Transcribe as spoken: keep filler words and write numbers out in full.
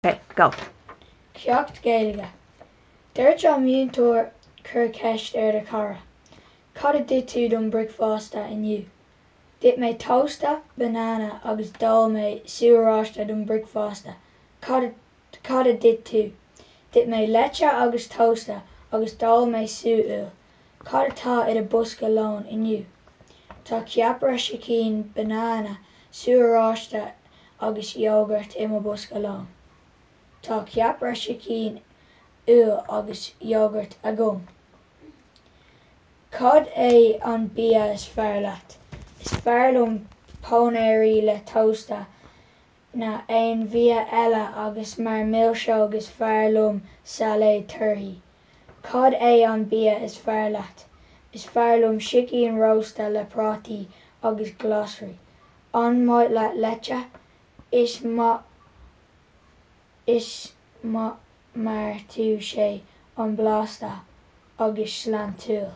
Okay, go. Ceacht Gaeilge. Dúirt an múinteoir cuir ceist ar do chara. Cad a d'ith tú don bricfeasta inniu? D'ith mé tósta, banana agus d'ól mé sú oráiste don bricfeasta. Cad cad a d'ith tú? D'ith mé leite agus tósta agus d'ól mé sú úll. Cad atá i do bhosca lóin inniu? Tá ceapaire sicín, banana, sú oráiste agus iógart i mo bhosca lóin. Tá ceapaire sicín úll agus iógart agam. Cad é an bia is fearr leat? Is fearr liom pónairí le tósta ná aon bhia eile agus mar milseog is fearr liom sailéad torthaí. Cad é an bia is fearr leat? Is fearr liom sicín rósta le prátaí agus glasraí. An maith leat leite? Is maith is maith mar tá sé an-bhlasta agus sláintiúil.